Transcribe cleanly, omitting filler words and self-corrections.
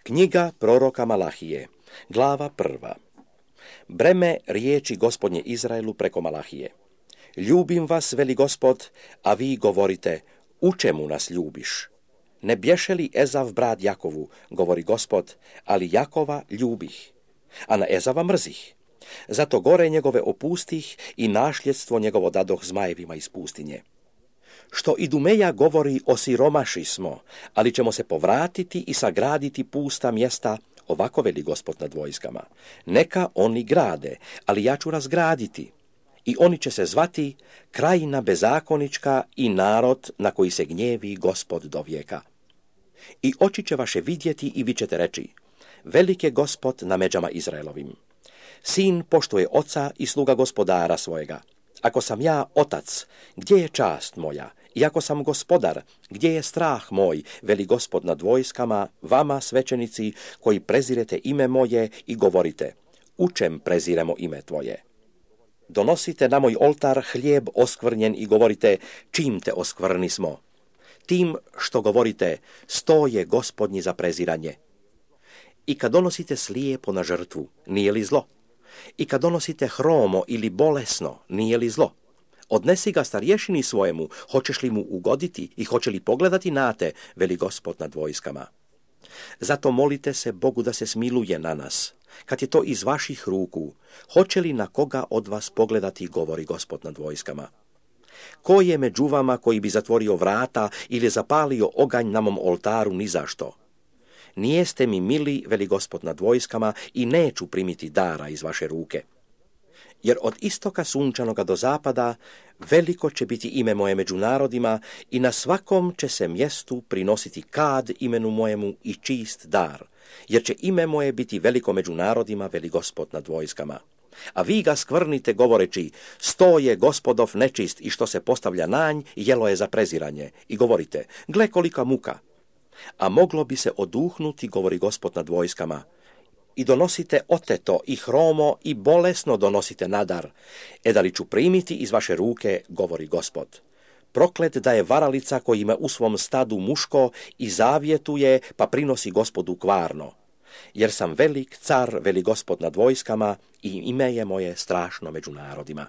Knjiga proroka Malahije, glava 1. Breme riječi Gospodnje Izraelu preko Malahije. Ljubim vas, veli Gospod, a vi govorite, u čemu nas ljubiš? Ne bješe li Ezav brat Jakovu, govori Gospod, ali Jakova ljubih, a na Ezava mrzih. Zato gore njegove opustih i našljedstvo njegovo dadoh zmajevima iz pustinje. Što Idumeja govori, osiromaši smo, ali ćemo se povratiti i sagraditi pusta mjesta, ovako veli Gospod nad vojskama. Neka oni grade, ali ja ću razgraditi. I oni će se zvati krajina bezakonička i narod na koji se gnjevi Gospod do vijeka. I oči će vaše vidjeti i vi ćete reći, velik je Gospod na međama Izraelovim. Sin poštuje oca i sluga gospodara svojega. Ako sam ja otac, gdje je čast moja? I ako sam gospodar, gdje je strah moj, veli Gospod nad vojskama, vama svećenici koji prezirete ime moje i govorite, u čem preziremo ime tvoje? Donosite na moj oltar hlijeb oskvrnjen i govorite, čim te oskvrni smo? Tim što govorite, sto je Gospodnji za preziranje. I kad donosite slijepo na žrtvu, nije li zlo? I kad donosite hromo ili bolesno, nije li zlo? Odnesi ga starješini svojemu, hoćeš li mu ugoditi i hoće li pogledati na te, veli Gospod nad vojskama. Zato molite se Bogu da se smiluje na nas. Kad je to iz vaših ruku, hoće li na koga od vas pogledati, govori Gospod nad vojskama. Ko je među vama koji bi zatvorio vrata ili zapalio oganj na mom oltaru ni zašto? Nijeste mi mili, veli Gospod nad vojskama, i neću primiti dara iz vaše ruke. Jer od istoka sunčanoga do zapada veliko će biti ime moje među narodima i na svakom će se mjestu prinositi kad imenu mojemu i čist dar, jer će ime moje biti veliko među narodima, veli Gospod nad vojskama. A vi ga skvrnite govoreći, sto je Gospodov nečist i što se postavlja nanj, jelo je za preziranje. I govorite, gle kolika muka. A moglo bi se oduhnuti, govori Gospod nad vojskama, i donosite oteto i hromo i bolesno donosite nadar, da li ću primiti iz vaše ruke, govori Gospod. Proklet da je varalica koji ima u svom stadu muško i zavjetuje, pa prinosi Gospodu kvarno. Jer sam velik car, veli Gospod nad vojskama, i ime je moje strašno među narodima.